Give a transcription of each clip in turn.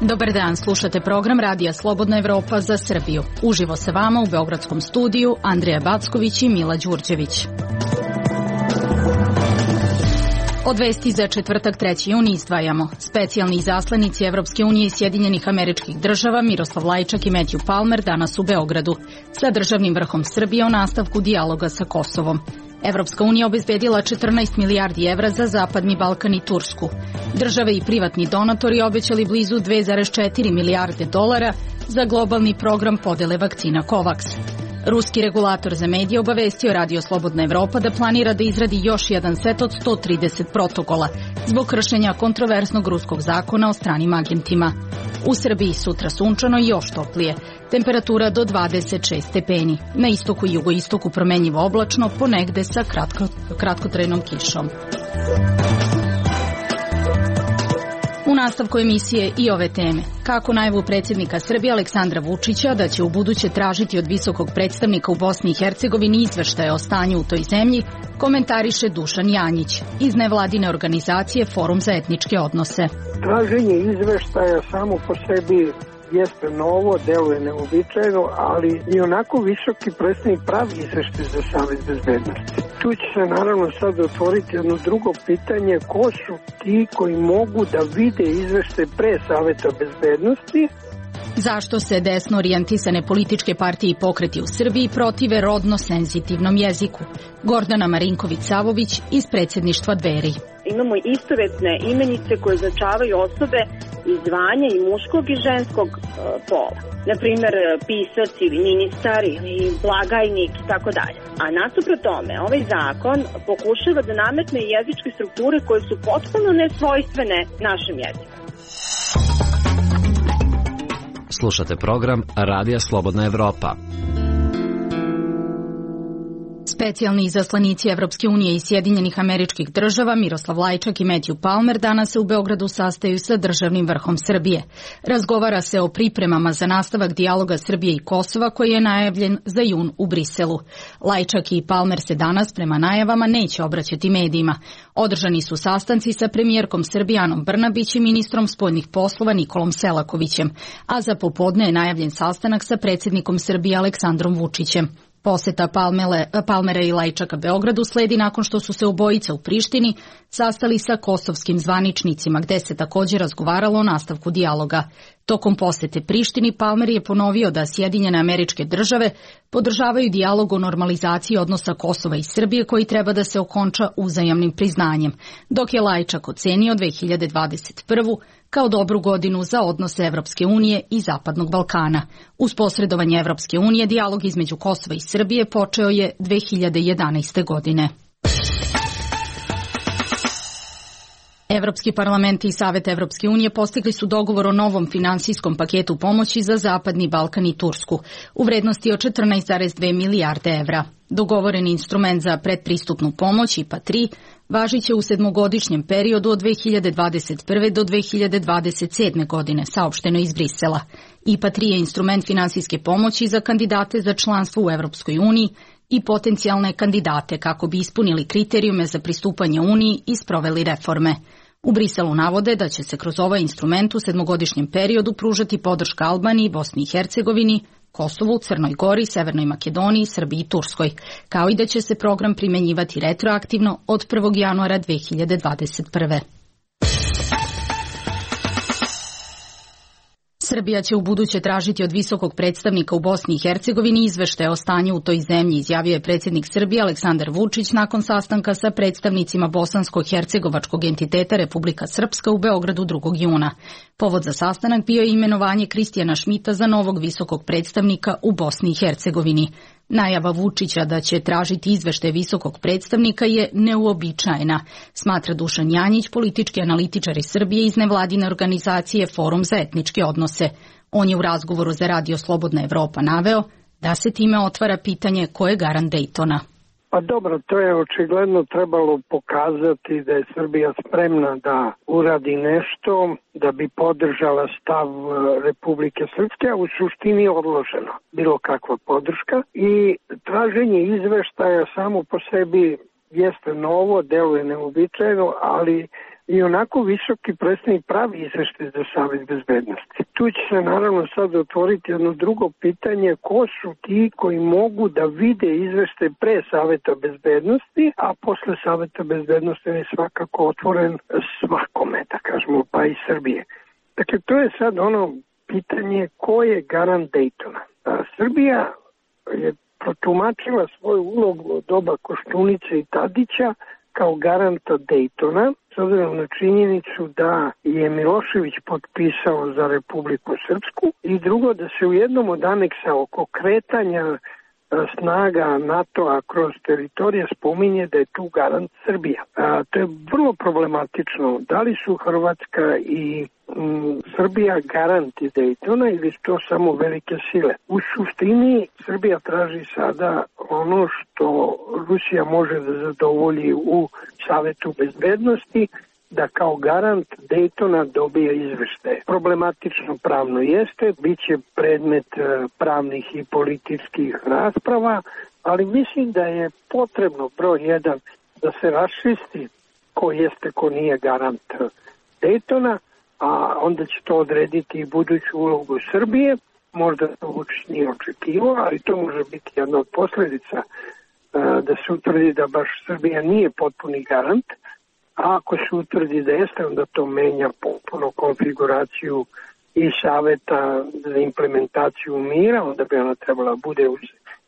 Dobar dan, slušate program Radija Slobodna Evropa za Srbiju. Uživo sa vama u Beogradskom studiju Andrija Backović i Mila Đurđević. Od vesti za četvrtak 3. juni izdvajamo. Specijalni izaslanici Evropske unije i Sjedinjenih Američkih Država Miroslav Lajčak i Matthew Palmer danas u Beogradu sa državnim vrhom Srbije o nastavku dijaloga sa Kosovom. Evropska unija obezbedila 14 milijardi evra za Zapadni Balkan i Tursku. Države i privatni donatori obećali blizu 2,4 milijarde dolara za globalni program podele vakcina COVAX. Ruski regulator za medije obavestio Radio Slobodna Evropa da planira da izradi još jedan set od 130 protokola zbog kršenja kontroverznog ruskog zakona o stranim agentima. U Srbiji sutra sunčano i još toplije. Temperatura do 26 stepeni. Na istoku i jugoistoku promenljivo oblačno, ponegde sa kratkotrajnom kišom. U nastavku emisije i ove teme. Kako najavu predsjednika Srbije Aleksandra Vučića da će u buduće tražiti od visokog predstavnika u Bosni i Hercegovini izveštaje o stanju u toj zemlji, komentariše Dušan Janjić iz nevladine organizacije Forum za etničke odnose. Traženje izveštaja samo po sebi jeste novo, deluje neobičajno, ali i onako visoki predstavnik pravi izveštaj za Savet bezbednosti. Tu će se naravno sad otvoriti jedno drugo pitanje, ko su ti koji mogu da vide izveštaj pre Saveta bezbednosti. Zašto se desno orijentisane političke partije i pokreti u Srbiji protive rodno senzitivnom jeziku? Gordana Marinković-Savović iz predsjedništva Dveri. Imamo istovetne imenice koje označavaju osobe iz zvanja i muškog i ženskog pola. Naprimjer, pisac ili ministar ili blagajnik i tako dalje. A nasuprot tome, ovaj zakon pokušava da nametne jezičke strukture koje su potpuno nesvojstvene našem jeziku. Slušate program Radija Slobodna Evropa. Specijalni izaslanici Evropske unije i Sjedinjenih Američkih Država Miroslav Lajčak i Matthew Palmer danas se u Beogradu sastaju sa državnim vrhom Srbije. Razgovara se o pripremama za nastavak dijaloga Srbije i Kosova koji je najavljen za jun u Briselu. Lajčak i Palmer se danas prema najavama neće obraćati medijima. Održani su sastanci sa premijerkom Srbije Anom Brnabić i ministrom spoljnih poslova Nikolom Selakovićem, a za popodne je najavljen sastanak sa predsjednikom Srbije Aleksandrom Vučićem. Poseta Palmera i Lajčaka Beogradu sledi nakon što su se obojica u Prištini sastali sa kosovskim zvaničnicima, gde se također razgovaralo o nastavku dijaloga. Tokom posete Prištini Palmer je ponovio da Sjedinjene Američke Države podržavaju dijalog o normalizaciji odnosa Kosova i Srbije koji treba da se okonča uzajamnim priznanjem, dok je Lajčak ocenio 2021. kao dobru godinu za odnose Evropske unije i Zapadnog Balkana. Uz posredovanje Evropske unije, dijalog između Kosova i Srbije počeo je 2011. godine. Evropski parlament i Savet Evropske unije postigli su dogovor o novom finansijskom paketu pomoći za Zapadni Balkan i Tursku u vrednosti od 14,2 milijarde evra. Dogovoreni instrument za predpristupnu pomoć IPA 3 važit će u sedmogodišnjem periodu od 2021. do 2027. godine, saopšteno iz Brisela. IPA 3 je instrument finansijske pomoći za kandidate za članstvo u Evropskoj uniji i potencijalne kandidate kako bi ispunili kriterijume za pristupanje Uniji i sproveli reforme. U Briselu navode da će se kroz ovaj instrument u sedmogodišnjem periodu pružati podrška Albaniji, Bosni i Hercegovini, Kosovu, Crnoj Gori, Severnoj Makedoniji, Srbiji i Turskoj, kao i da će se program primenjivati retroaktivno od 1. januara 2021. Srbija će u buduće tražiti od visokog predstavnika u Bosni i Hercegovini izveštaje o stanju u toj zemlji, izjavio je predsjednik Srbije Aleksandar Vučić nakon sastanka sa predstavnicima bosansko-hercegovačkog entiteta Republika Srpska u Beogradu 2. juna. Povod za sastanak bio je imenovanje Kristijana Šmita za novog visokog predstavnika u Bosni i Hercegovini. Najava Vučića da će tražiti izveštaj visokog predstavnika je neuobičajena, smatra Dušan Janjić, politički analitičar iz Srbije iz nevladine organizacije Forum za etničke odnose. On je u razgovoru za Radio Slobodna Evropa naveo da se time otvara pitanje ko je garant Dejtona. Pa dobro, to je očigledno trebalo pokazati da je Srbija spremna da uradi nešto da bi podržala stav Republike Srpske, a u suštini odloženo bilo kakva podrška i traženje izveštaja samo po sebi jeste novo, deluje neuobičajeno, ali i onako visoki predstavnik pravi izveštaj za Savet bezbednosti. Tu će se naravno sad otvoriti jedno drugo pitanje, ko su ti koji mogu da vide izveštaj pre Saveta bezbednosti, a posle Saveta bezbednosti je svakako otvoren svakome, da kažemo, pa i Srbije. Dakle, to je sad ono pitanje ko je garant Dejtona. Srbija je protumačila svoju ulogu od doba Koštunice i Tadića kao garanta Dejtona, s obzirom na činjenicu da je Milošević potpisao za Republiku Srpsku i drugo da se u jednom od aneksa oko kretanja snaga NATO-a kroz teritorije spominje da je tu garant Srbija. To je vrlo problematično. Da li su Hrvatska i Srbija garanti Dejtona ili su to samo velike sile? U suštini Srbija traži sada ono što Rusija može da zadovolji u Savetu bezbednosti, da kao garant Dejtona dobije izveštaje. Problematično pravno jeste, bit će predmet pravnih i političkih rasprava, ali mislim da je potrebno broj 1 da se raščisti ko jeste, ko nije garant Dejtona, a onda će to odrediti i buduću ulogu Srbije. Možda to Vučić nije očekivao, ali to može biti jedna od posljedica da se utvrdi da baš Srbija nije potpuni garant, a ako se utvrdi da jeste, onda to menja potpuno konfiguraciju i Saveta za implementaciju mira, onda bi ona trebala bude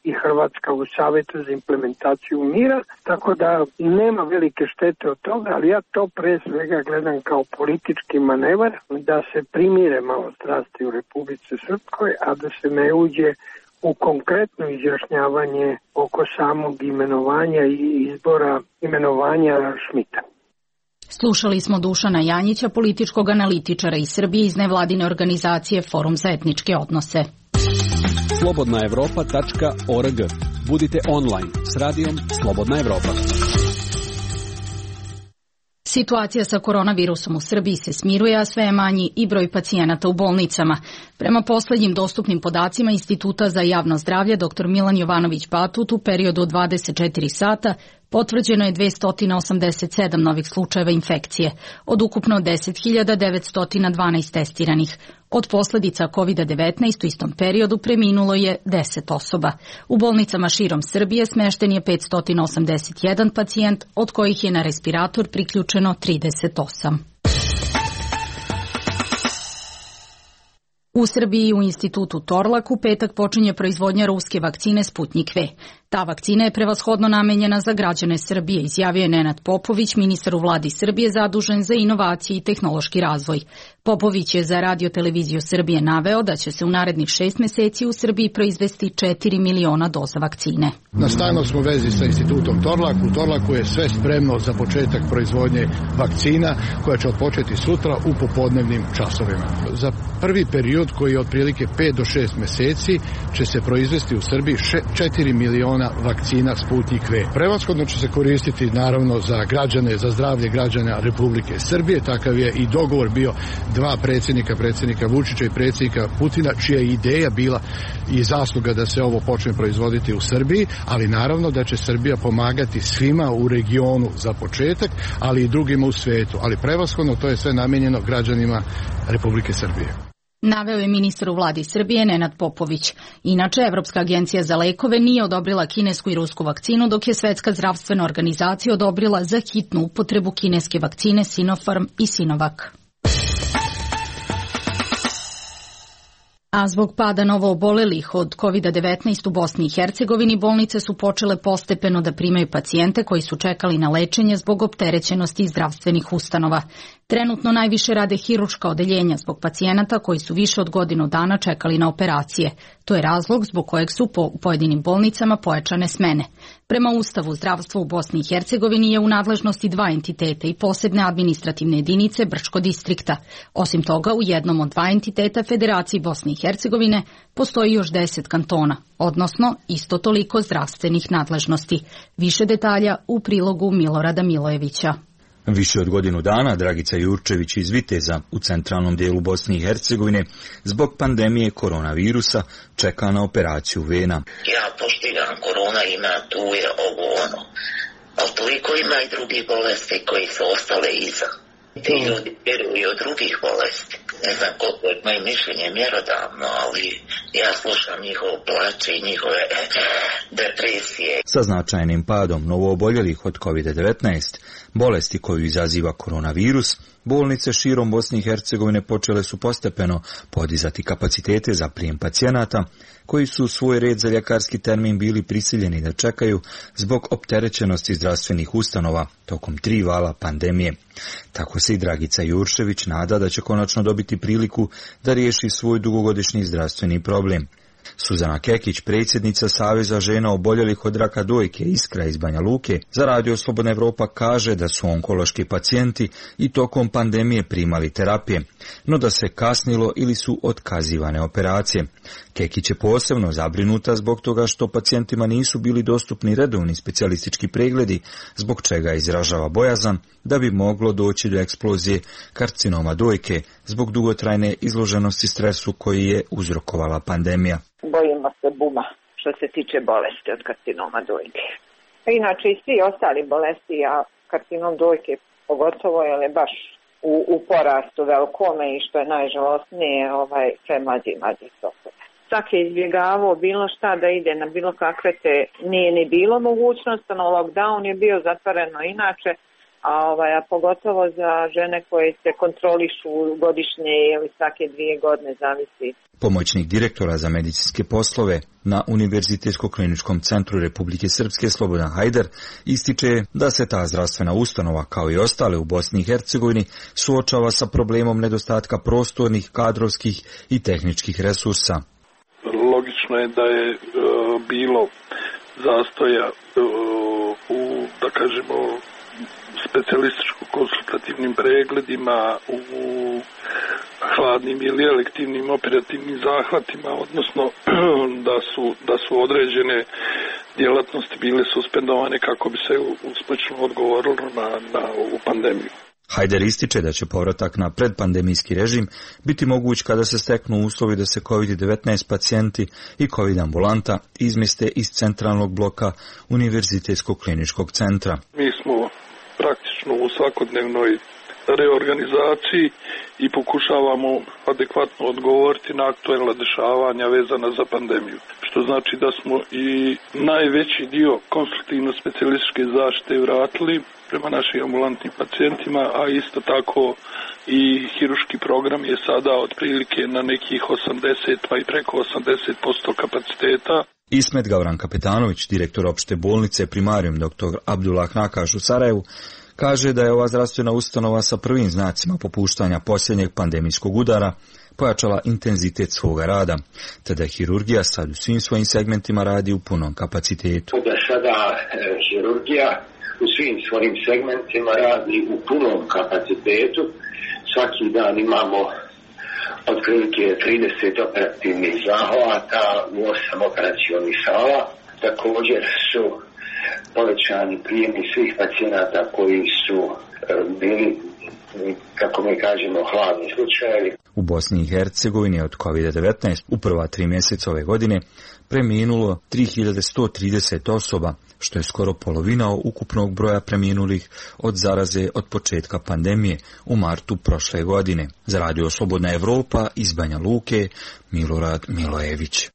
i Hrvatska u Savetu za implementaciju mira, tako da nema velike štete od toga, ali ja to pre svega gledam kao politički manevar, da se primire malo strasti u Republici Srpskoj, a da se ne uđe u konkretno izjašnjavanje oko samog imenovanja i izbora imenovanja Šmita. Slušali smo Dušana Janjića, političkog analitičara iz Srbije iz nevladine organizacije Forum za etničke odnose. slobodnaevropa.org. Budite online s radijom Slobodna Evropa. Situacija sa koronavirusom u Srbiji se smiruje, a sve je manji i broj pacijenata u bolnicama. Prema poslednjim dostupnim podacima Instituta za javno zdravlje, dr. Milan Jovanović Batut, u periodu od 24 sata potvrđeno je 287 novih slučajeva infekcije, od ukupno 10.912 testiranih. Od posledica COVID-19 u istom periodu preminulo je 10 osoba. U bolnicama širom Srbije smešten je 581 pacijent, od kojih je na respirator priključeno 38. U Srbiji u institutu Torlak u petak počinje proizvodnja ruske vakcine Sputnjik V. Ta vakcina je prevashodno namenjena za građane Srbije, izjavio je Nenad Popović, ministar u vladi Srbije zadužen za inovacije i tehnološki razvoj. Popović je za Radio televiziju Srbije naveo da će se u narednih 6 meseci u Srbiji proizvesti 4 miliona doza vakcine. Na stalnoj smo vezi sa institutom Torlak. U Torlaku je sve spremno za početak proizvodnje vakcina koja će odpočeti sutra u popodnevnim časovima. Za prvi period koji je otprilike 5 do 6 meseci će se proizvesti u Srbiji 4 miliona vakcina Sputnjik V. Prevashodno će se koristiti naravno za građane, za zdravlje građana Republike Srbije. Takav je i dogovor bio dva predsjednika Vučića i predsjednika Putina, čija je ideja bila i zasluga da se ovo počne proizvoditi u Srbiji, ali naravno da će Srbija pomagati svima u regionu za početak, ali i drugima u svetu. Ali prevashodno to je sve namijenjeno građanima Republike Srbije. Naveo je ministar u vladi Srbije Nenad Popović. Inače, Evropska agencija za lekove nije odobrila kinesku i rusku vakcinu, dok je Svetska zdravstvena organizacija odobrila za hitnu upotrebu kineske vakcine Sinopharm i Sinovac. A zbog pada novoobolelih od COVID-19 u Bosni i Hercegovini, bolnice su počele postepeno da primaju pacijente koji su čekali na lečenje zbog opterećenosti zdravstvenih ustanova. Trenutno najviše rade hirurška odeljenja zbog pacijenata koji su više od godinu dana čekali na operacije. To je razlog zbog kojeg su po pojedinim bolnicama pojačane smene. Prema Ustavu, zdravstvo u Bosni i Hercegovini je u nadležnosti 2 entiteta i posebne administrativne jedinice Brčko distrikta. Osim toga, u jednom od 2 entiteta Federaciji Bosne i Hercegovine postoji još 10 kantona, odnosno isto toliko zdravstvenih nadležnosti. Više detalja u prilogu Milorada Milojevića. Više od godinu dana Dragica Jurčević iz Viteza u centralnom dijelu Bosne i Hercegovine zbog pandemije koronavirusa čeka na operaciju vena. Ja poštivam, korona ima, tu je ovo ono, ali toliko ima i drugih bolesti koji su ostale iza. Ti ljudi vjeruju od drugih bolesti. Ne znam koliko je moje mišljenje mjerodavno, ali ja slušam njihov plač i njihove depresije. Sa značajnim padom novooboljelih od COVID-19, bolesti koju izaziva koronavirus, bolnice širom Bosne i Hercegovine počele su postepeno podizati kapacitete za prijem pacijenata, koji su u svoj red za ljekarski termin bili prisiljeni da čekaju zbog opterećenosti zdravstvenih ustanova tokom 3 vala pandemije. Tako se i Dragica Jurčević nada da će konačno dobiti priliku da riješi svoj dugogodišnji zdravstveni problem. Suzana Kekić, predsjednica Saveza žena oboljelih od raka dojke Iskra iz Banja Luke, za Radio Slobodna Evropa kaže da su onkološki pacijenti i tokom pandemije primali terapije, no da se kasnilo ili su otkazivane operacije. Kekić je posebno zabrinuta zbog toga što pacijentima nisu bili dostupni redovni specijalistički pregledi, zbog čega izražava bojazan da bi moglo doći do eksplozije karcinoma dojke zbog dugotrajne izloženosti stresu koji je uzrokovala pandemija. Bojimo se buma što se tiče bolesti od karcinoma dojke. Inače i svi ostali bolesti, a karcinom dojke pogotovo je baš u porastu velikome i što je najžalostnije sve mlađi osobe. Svak je izbjegavao bilo šta da ide na bilo kakve nije ni bilo mogućnost, no lockdown je bio zatvoreno inače, a pogotovo za žene koje se kontrolišu godišnje ili svake 2 godine, zavisi. Pomoćnik direktora za medicinske poslove na Univerzitetsko-kliničkom centru Republike Srpske Slobodan Hajder ističe da se ta zdravstvena ustanova, kao i ostale u Bosni i Hercegovini, suočava sa problemom nedostatka prostornih, kadrovskih i tehničkih resursa. Logično je da je bilo zastoja u, da kažemo, specijalističko-konsultativnim pregledima, u hladnim ili elektivnim operativnim zahvatima, odnosno da su određene djelatnosti bile suspendovane kako bi se uspješno odgovorilo na ovu pandemiju. Hajder ističe da će povratak na predpandemijski režim biti moguć kada se steknu uslovi da se COVID-19 pacijenti i COVID ambulanta izmjeste iz centralnog bloka Univerzitetskog kliničkog centra. Mi smo praktično u svakodnevnoj reorganizaciji i pokušavamo adekvatno odgovoriti na aktuelna dešavanja vezana za pandemiju. Što znači da smo i najveći dio konstruktivno-specijalističke zaštite vratili prema našim ambulantnim pacijentima, a isto tako i hiruški program je sada otprilike na nekih 80 pa i preko 80% kapaciteta. Ismet Gavran Kapetanović, direktor opšte bolnice Primarium dr. Abdullah Nakaš u Sarajevu, kaže da je ova zdravstvena ustanova sa prvim znacima popuštanja posljednjeg pandemijskog udara pojačala intenzitet svoga rada, te da hirurgija sad u svim svojim segmentima radi u punom kapacitetu. Da sada hirurgija u svim svojim segmentima radi u punom kapacitetu. Svaki dan imamo otprilike 30 operativnih zahvata u 8 operacionih sala. Također su povećani prijemi svih pacijenata koji su bili, kako mi kažemo, hladni slučajevi. U Bosni i Hercegovini od COVID-19 u prva 3 mjeseca ove godine preminulo 3130 osoba, što je skoro polovina ukupnog broja preminulih od zaraze od početka pandemije u martu prošle godine. Za Radio Slobodna Evropa iz Banja Luke, Milorad Milojević.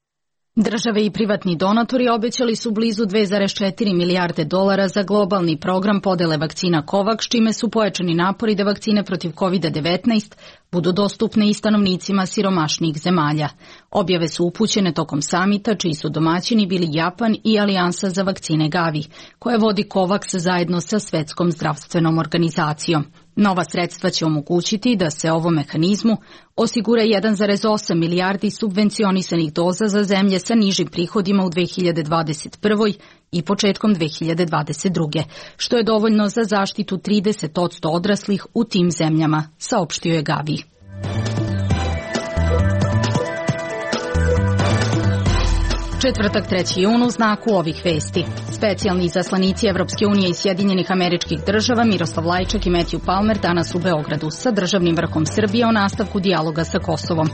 Države i privatni donatori obećali su blizu 2,4 milijarde dolara za globalni program podele vakcina COVAX, čime su pojačani napori da vakcine protiv COVID-19 budu dostupne i stanovnicima siromašnijih zemalja. Objave su upućene tokom samita, čiji su domaćini bili Japan i Alijansa za vakcine Gavi, koje vodi COVAX zajedno sa Svetskom zdravstvenom organizacijom. Nova sredstva će omogućiti da se ovom mehanizmu osigura 1,8 milijardi subvencionisanih doza za zemlje sa nižim prihodima u 2021. i početkom 2022. što je dovoljno za zaštitu 30% odraslih u tim zemljama, saopštio je Gavi. Četvrtak 3. jun u znaku ovih vesti. Specijalni izaslanici Evropske unije i Sjedinjenih Američkih Država Miroslav Lajčak i Matthew Palmer danas u Beogradu sa državnim vrhom Srbije o nastavku dijaloga sa Kosovom.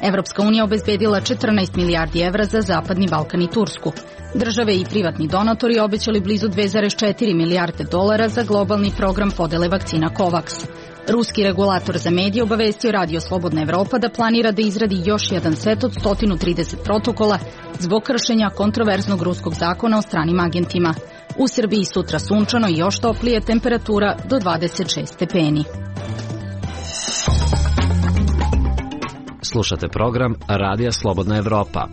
Evropska unija obezbedila 14 milijardi evra za Zapadni Balkan i Tursku. Države i privatni donatori obećali blizu 2,4 milijarde dolara za globalni program podele vakcina COVAX. Ruski regulator za medije obavestio Radio Slobodna Evropa da planira da izradi još jedan set od 130 protokola zbog kršenja kontroverznog ruskog zakona o stranim agentima. U Srbiji sutra sunčano i još toplije, temperatura do 26 stepeni. Slušate program Radija Slobodna Evropa.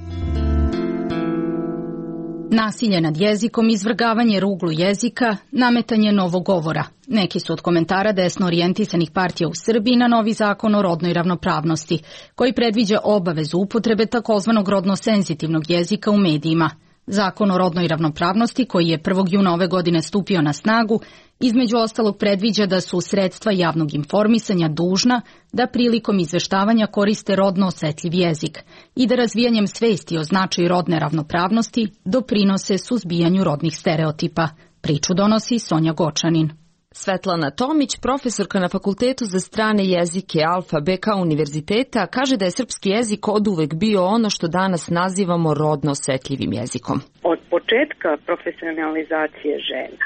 Nasilje nad jezikom, izvrgavanje ruglu jezika, nametanje novog govora. Neki su od komentara desno orijentisanih partija u Srbiji na novi zakon o rodnoj ravnopravnosti, koji predviđa obavezu upotrebe takozvanog rodno senzitivnog jezika u medijima. Zakon o rodnoj ravnopravnosti, koji je 1. juna ove godine stupio na snagu, između ostalog predviđa da su sredstva javnog informisanja dužna da prilikom izveštavanja koriste rodno osetljiv jezik i da razvijanjem svesti o značaju rodne ravnopravnosti doprinose suzbijanju rodnih stereotipa. Priču donosi Sonja Gočanin. Svetlana Tomić, profesorka na Fakultetu za strane jezike Alfa BK univerziteta, kaže da je srpski jezik oduvek bio ono što danas nazivamo rodno osetljivim jezikom. Od početka profesionalizacije žena,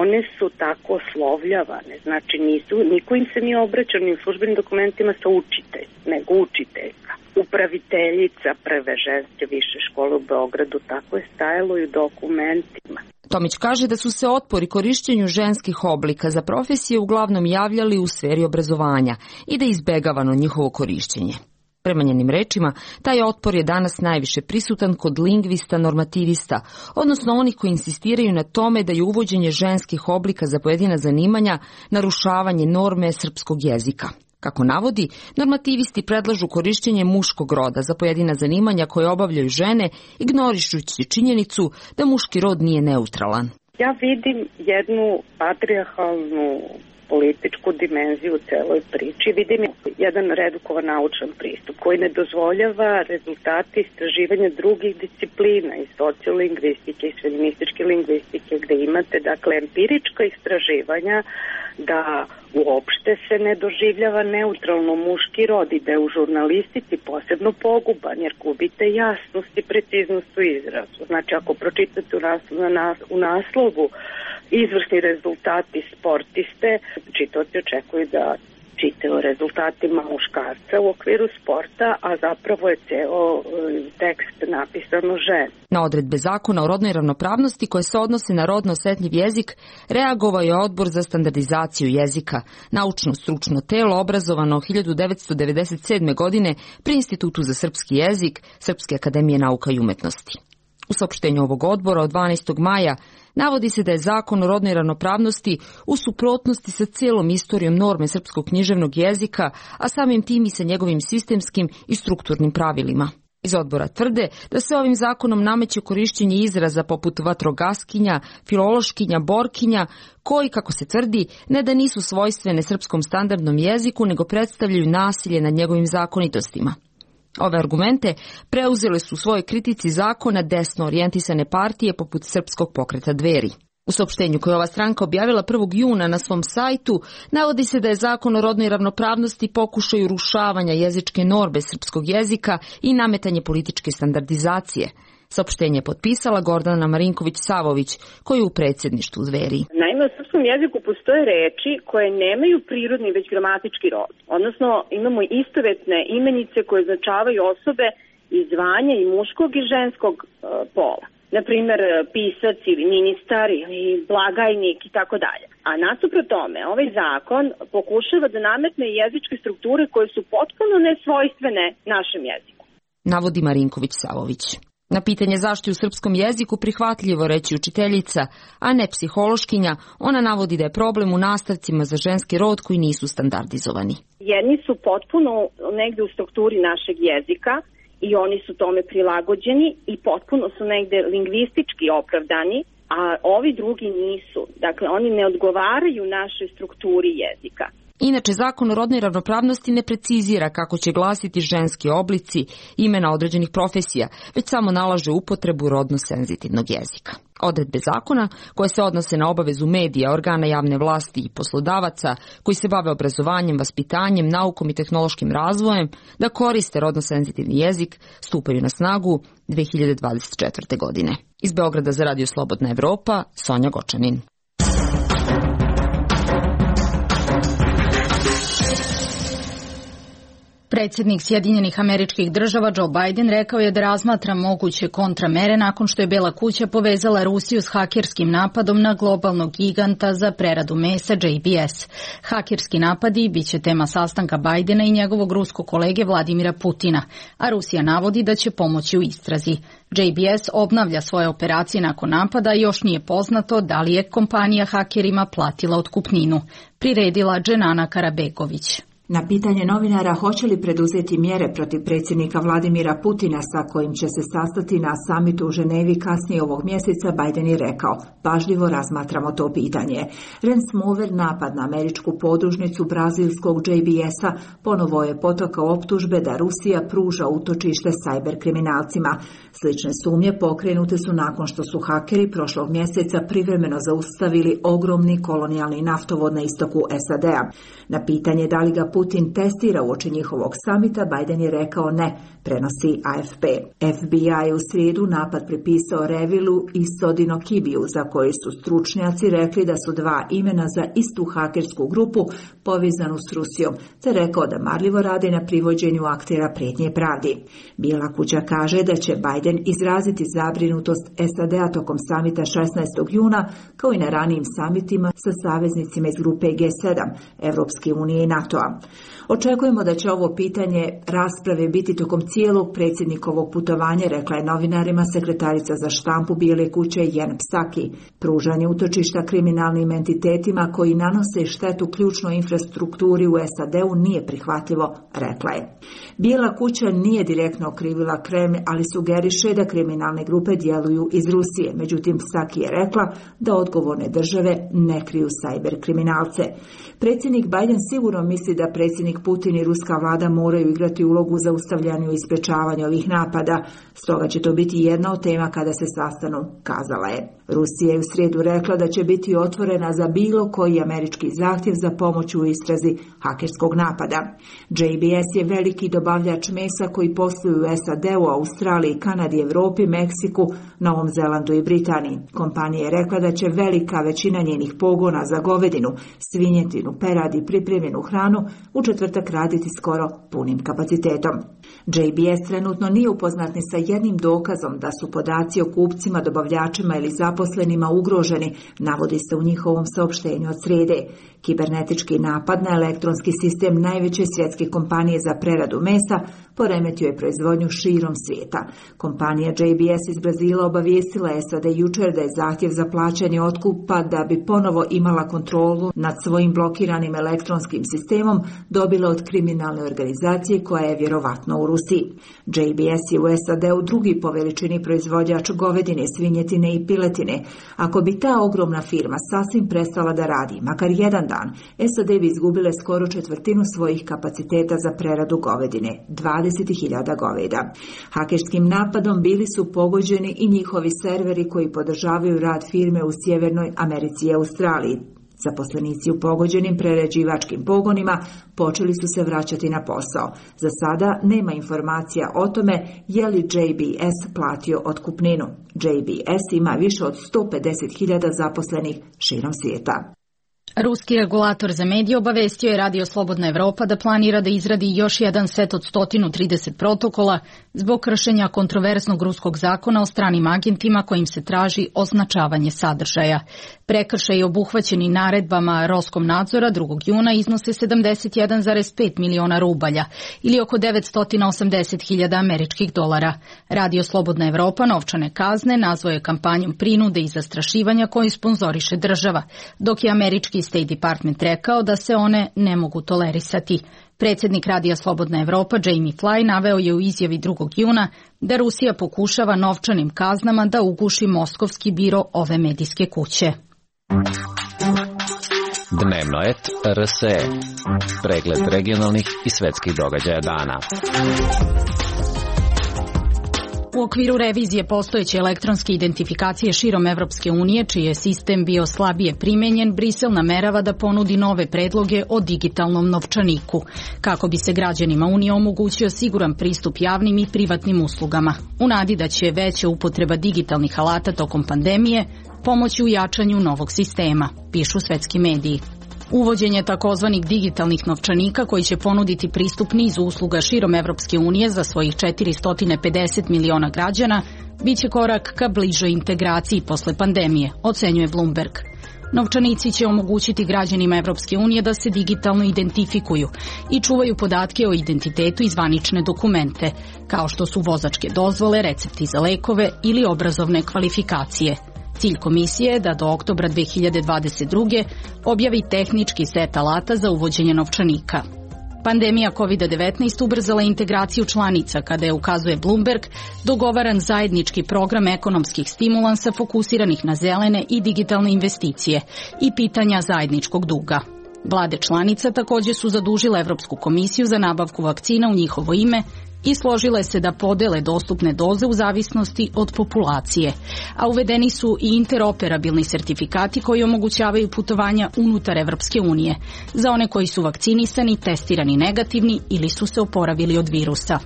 one su tako oslovljavane, znači niko im se nije obraćao ni u službenim dokumentima sa učitelj, nego učiteljka. Upraviteljica prve ženske više škole u Beogradu, tako je stajalo i u dokumentima. Tomić kaže da su se otpori korišćenju ženskih oblika za profesije uglavnom javljali u sferi obrazovanja i da je izbegavano njihovo korišćenje. Prema njenim rečima, taj otpor je danas najviše prisutan kod lingvista normativista, odnosno onih koji insistiraju na tome da je uvođenje ženskih oblika za pojedina zanimanja narušavanje norme srpskog jezika. Kako navodi, normativisti predlažu korišćenje muškog roda za pojedina zanimanja koje obavljaju žene, ignorišući činjenicu da muški rod nije neutralan. Ja vidim jednu patrijarhalnu političku dimenziju u celoj priči. Vidim jedan redukovan naučan pristup koji ne dozvoljava rezultati istraživanja drugih disciplina iz sociolingvistike, iz feminističke lingvistike, gde imate dakle empirička istraživanja da uopšte se ne doživljava neutralno muški rod i da je u žurnalistici posebno poguban jer gubite jasnost i preciznost u izrazu. Znači ako pročitate u naslovu izvrsni rezultati sportiste, čitaoci očekuju da čitaju o rezultatima muškarca u okviru sporta, a zapravo je ceo tekst napisano ženi. Na odredbe zakona o rodnoj ravnopravnosti koje se odnose na rodno osetljiv jezik reagovao je Odbor za standardizaciju jezika, naučno-stručno telo obrazovano 1997. godine pri Institutu za srpski jezik Srpske akademije nauka i umetnosti. U saopštenju ovog odbora od 12. maja navodi se da je zakon o rodnoj ravnopravnosti u suprotnosti sa cijelom istorijom norme srpskog književnog jezika, a samim tim i sa njegovim sistemskim i strukturnim pravilima. Iz odbora tvrde da se ovim zakonom nameće korišćenje izraza poput vatrogaskinja, filološkinja, borkinja, koji, kako se tvrdi, ne da nisu svojstvene srpskom standardnom jeziku, nego predstavljaju nasilje nad njegovim zakonitostima. Ove argumente preuzele su u svojoj kritici zakona desno orijentisane partije poput Srpskog pokreta Dveri. U saopštenju koje ova stranka objavila 1. juna na svom sajtu navodi se da je zakon o rodnoj ravnopravnosti pokušaj urušavanja jezičke norme srpskog jezika i nametanje političke standardizacije. Saopštenje je potpisala Gordana Marinković-Savović, koja je u predsjedništvu Dveri. Naime, u srpskom jeziku postoje reči koje nemaju prirodni već gramatički rod. Odnosno, imamo istovetne imenice koje označavaju osobe iz zvanja i muškog i ženskog pola. Naprimer, pisac ili ministar ili blagajnik i tako dalje. A nasuprot tome, ovaj zakon pokušava da nametne jezičke strukture koje su potpuno nesvojstvene našem jeziku. Navodi Marinković-Savović. Na pitanje zašto je u srpskom jeziku prihvatljivo reći učiteljica, a ne psihološkinja, ona navodi da je problem u nastavcima za ženski rod koji nisu standardizovani. Jedni su potpuno negde u strukturi našeg jezika i oni su tome prilagođeni i potpuno su negde lingvistički opravdani, a ovi drugi nisu. Dakle, oni ne odgovaraju našoj strukturi jezika. Inače, zakon o rodnoj ravnopravnosti ne precizira kako će glasiti ženski oblici imena određenih profesija, već samo nalaže upotrebu rodno senzitivnog jezika. Odredbe zakona, koje se odnose na obavezu medija, organa javne vlasti i poslodavaca koji se bave obrazovanjem, vaspitanjem, naukom i tehnološkim razvojem, da koriste rodno senzitivni jezik, stupaju na snagu 2024. godine. Iz Beograda za Radio Slobodna Evropa, Sonja Gočanin. Predsjednik Sjedinjenih Američkih Država Joe Biden rekao je da razmatra moguće kontramere nakon što je Bela kuća povezala Rusiju s hakerskim napadom na globalnog giganta za preradu mesa JBS. Hakerski napadi biće tema sastanka Bidena i njegovog ruskog kolege Vladimira Putina, a Rusija navodi da će pomoći u istrazi. JBS obnavlja svoje operacije nakon napada i još nije poznato da li je kompanija hakerima platila otkupninu. Priredila Dženana Karabegović. Na pitanje novinara hoće li preduzeti mjere protiv predsjednika Vladimira Putina sa kojim će se sastati na samitu u Ženevi kasnije ovog mjeseca, Biden je rekao: pažljivo razmatramo to pitanje. Ransomware napad na američku podružnicu brazilskog JBS-a ponovo je potakao optužbe da Rusija pruža utočište sajber kriminalcima. Slične sumnje pokrenute su nakon što su hakeri prošlog mjeseca privremeno zaustavili ogromni kolonijalni naftovod na istoku SAD-a. Na pitanje da li ga Putin testira uoči njihovog samita, Biden je rekao ne, prenosi AFP. FBI u srijedu napad pripisao Revilu i Sodino Kibiju, za koji su stručnjaci rekli da su dva imena za istu hakersku grupu povezanu s Rusijom, te rekao da marljivo radi na privođenju aktera prijetnje pravdi. Bijela kuća kaže da će Biden izraziti zabrinutost SAD-a tokom samita 16. juna, kao i na ranijim samitima sa saveznicima iz grupe G7, Evropske unije i NATO-a. Očekujemo da će ovo pitanje rasprave biti tokom cijelog predsjednikovog putovanja, rekla je novinarima sekretarica za štampu Bijele kuće Jen Psaki. Pružanje utočišta kriminalnim entitetima koji nanose štetu ključnoj infrastrukturi u SAD-u nije prihvatljivo, rekla je. Bijela kuća nije direktno okrivila Kremlj, ali sugeriše da kriminalne grupe djeluju iz Rusije. Međutim, Psaki je rekla da odgovorne države ne kriju sajber kriminalce. Predsjednik Biden sigurno misli da predsjednik Putin i ruska vlada moraju igrati ulogu u zaustavljanju i sprečavanju ovih napada, stoga će to biti jedna od tema kada se sastanu, kazala je. Rusija je u srijedu rekla da će biti otvorena za bilo koji američki zahtjev za pomoć u istrazi hakerskog napada. JBS je veliki dobavljač mesa koji posluju u SAD-u, Australiji, Kanadi, Europi, Meksiku, Novom Zelandu i Britaniji. Kompanija je rekla da će velika većina njenih pogona za govedinu, svinjetinu, perad i pripremljenu hranu u četvrtak raditi skoro punim kapacitetom. JBS trenutno nije upoznat ni sa jednim dokazom da su podaci o kupcima, dobavljačima ili zaposlenima ugroženi, navodi se u njihovom saopštenju od srijede. Kibernetički napad na elektronski sistem najveće svjetske kompanije za preradu mesa poremetio je proizvodnju širom svijeta. Kompanija JBS iz Brazila obavijestila SAD jučer da je zahtjev za plaćanje otkupa da bi ponovo imala kontrolu nad svojim blokiranim elektronskim sistemom dobila od kriminalne organizacije koja je vjerovatno u Rusiji. JBS je u SAD-u drugi po veličini proizvođač govedine, svinjetine i piletine. Ako bi ta ogromna firma sasvim prestala da radi, makar jedan dan, SAD bi izgubile skoro četvrtinu svojih kapaciteta za preradu govedine, 20.000 goveda. Hakerskim napadom bili su pogođeni i njihovi serveri koji podržavaju rad firme u Sjevernoj Americi i Australiji. Zaposlenici u pogođenim prerađivačkim pogonima počeli su se vraćati na posao. Za sada nema informacija o tome je li JBS platio otkupninu. JBS ima više od 150.000 zaposlenih širom svijeta. Ruski regulator za medije obavestio je Radio Slobodna Evropa da planira da izradi još jedan set od 130 protokola zbog kršenja kontroverznog ruskog zakona o stranim agentima kojim se traži označavanje sadržaja. Prekršaji obuhvaćeni naredbama Roskomnadzora 2. juna iznose 71,5 miliona rubalja ili oko 980.000 američkih dolara. Radio Slobodna Evropa novčane kazne nazvao je kampanjom prinude i zastrašivanja koju sponzoriše država, dok je američki State Department rekao da se one ne mogu tolerisati. Predsjednik Radija Slobodna Evropa Jamie Fly naveo je u izjavi 2. juna da Rusija pokušava novčanim kaznama da uguši moskovski biro ove medijske kuće. Dnevnoet RSE. Pregled regionalnih i svetskih događaja dana. U okviru revizije postojeće elektronske identifikacije širom Evropske unije, čiji je sistem bio slabije primenjen, Brisel namerava da ponudi nove predloge o digitalnom novčaniku, kako bi se građanima Unije omogućio siguran pristup javnim i privatnim uslugama, u nadi da će veća upotreba digitalnih alata tokom pandemije pomoći u jačanju novog sistema, pišu svetski mediji. Uvođenje takozvanih digitalnih novčanika koji će ponuditi pristup nizu usluga širom Evropske unije za svojih 450 miliona građana biće korak ka bližoj integraciji posle pandemije, ocenjuje Bloomberg. Novčanici će omogućiti građanima Evropske unije da se digitalno identifikuju i čuvaju podatke o identitetu i zvanične dokumente, kao što su vozačke dozvole, recepti za lekove ili obrazovne kvalifikacije. Cilj komisije je da do oktobra 2022. objavi tehnički set alata za uvođenje novčanika. Pandemija COVID-19 ubrzala integraciju članica kada je, ukazuje Bloomberg, dogovaran zajednički program ekonomskih stimulansa fokusiranih na zelene i digitalne investicije i pitanja zajedničkog duga. Vlade članica također su zadužile Evropsku komisiju za nabavku vakcina u njihovo ime i složile se da podele dostupne doze u zavisnosti od populacije, a uvedeni su i interoperabilni sertifikati koji omogućavaju putovanja unutar Evropske unije za one koji su vakcinisani, testirani negativni ili su se oporavili od virusa.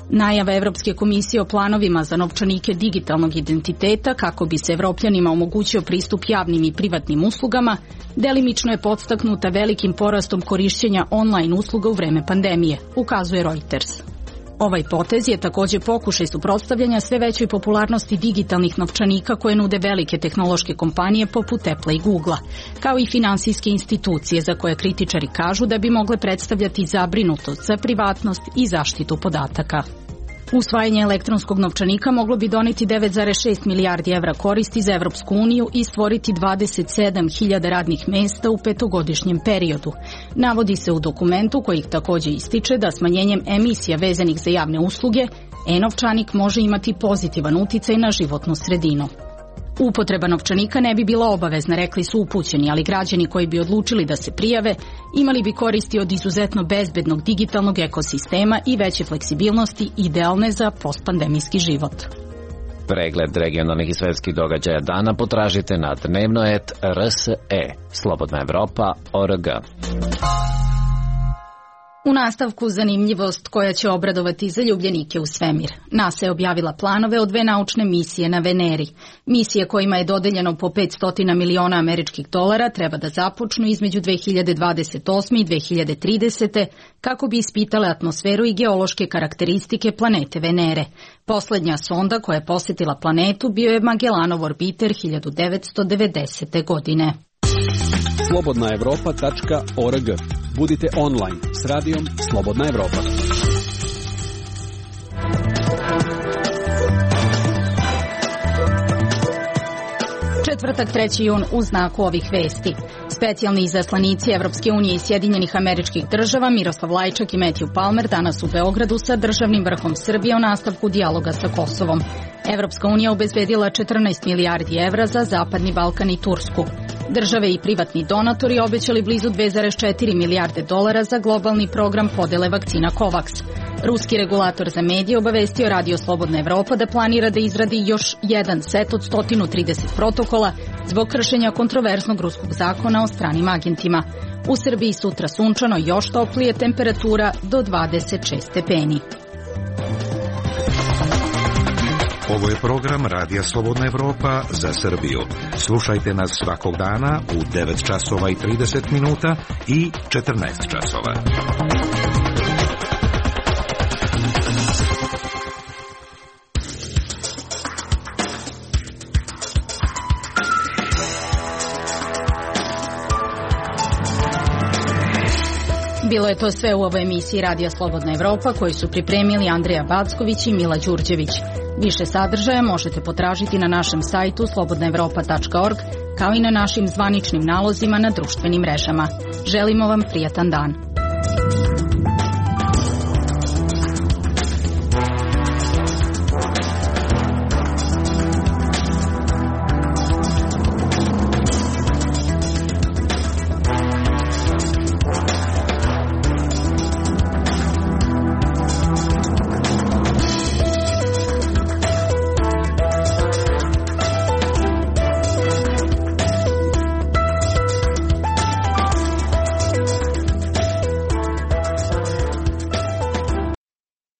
Najava Evropske komisije o planovima za novčanike digitalnog identiteta kako bi se Evropljanima omogućio pristup javnim i privatnim uslugama delimično je podstaknuta velikim porastom korišćenja online usluga u vreme pandemije, ukazuje Reuters. Ovaj potez je također pokušaj suprotstavljanja sve većoj popularnosti digitalnih novčanika koje nude velike tehnološke kompanije poput Apple i Googlea, kao i finansijske institucije za koje kritičari kažu da bi mogle predstavljati zabrinutost za privatnost i zaštitu podataka. Usvajanje elektronskog novčanika moglo bi doneti 9,6 milijardi evra koristi za Evropsku uniju i stvoriti 27.000 radnih mesta u petogodišnjem periodu. Navodi se u dokumentu koji također ističe da smanjenjem emisija vezanih za javne usluge, e-novčanik može imati pozitivan uticaj na životnu sredinu. Upotreba novčanika ne bi bila obavezna, rekli su upućeni, ali građani koji bi odlučili da se prijave imali bi koristi od izuzetno bezbednog digitalnog ekosistema i veće fleksibilnosti idealne za postpandemijski život. Pregled regionalnih i svetskih događaja dana potražite na Dnevnoet RSE, Slobodna Evropa.org. U nastavku zanimljivost koja će obradovati zaljubljenike u svemir. NASA je objavila planove o 2 naučne misije na Veneri. Misije kojima je dodeljeno po 500 miliona američkih dolara treba da započnu između 2028. i 2030. kako bi ispitale atmosferu i geološke karakteristike planete Venere. Poslednja sonda koja je posjetila planetu bio je Magellanov orbiter 1990. godine. Slobodnaevropa.org. Budite online s radijom Slobodna Evropa. Četvrtak 3. jun u znaku ovih vesti. Specijalni izaslanici Evropske unije i Sjedinjenih Američkih Država Miroslav Lajčak i Matthew Palmer danas u Beogradu sa državnim vrhom Srbije o nastavku dijaloga sa Kosovom. Evropska unija obezbedila 14 milijardi evra za Zapadni Balkan i Tursku. Države i privatni donatori obećali blizu 2,4 milijarde dolara za globalni program podele vakcina COVAX. Ruski regulator za medije obavestio Radio Slobodna Evropa da planira da izradi još jedan set od 130 protokola zbog kršenja kontroverznog ruskog zakona o stranim agentima. U Srbiji sutra sunčano, još toplije, temperatura do 26 stepeni. Ovo je program Radija Slobodna Evropa za Srbiju. Slušajte nas svakog dana u 9 časova i 30 minuta i 14 časova. Bilo je to sve u ovoj emisiji Radija Slobodna Evropa koju su pripremili Andreja Backović i Mila Đurđević. Više sadržaja možete potražiti na našem sajtu slobodnaevropa.org kao i na našim zvaničnim nalozima na društvenim mrežama. Želimo vam prijatan dan.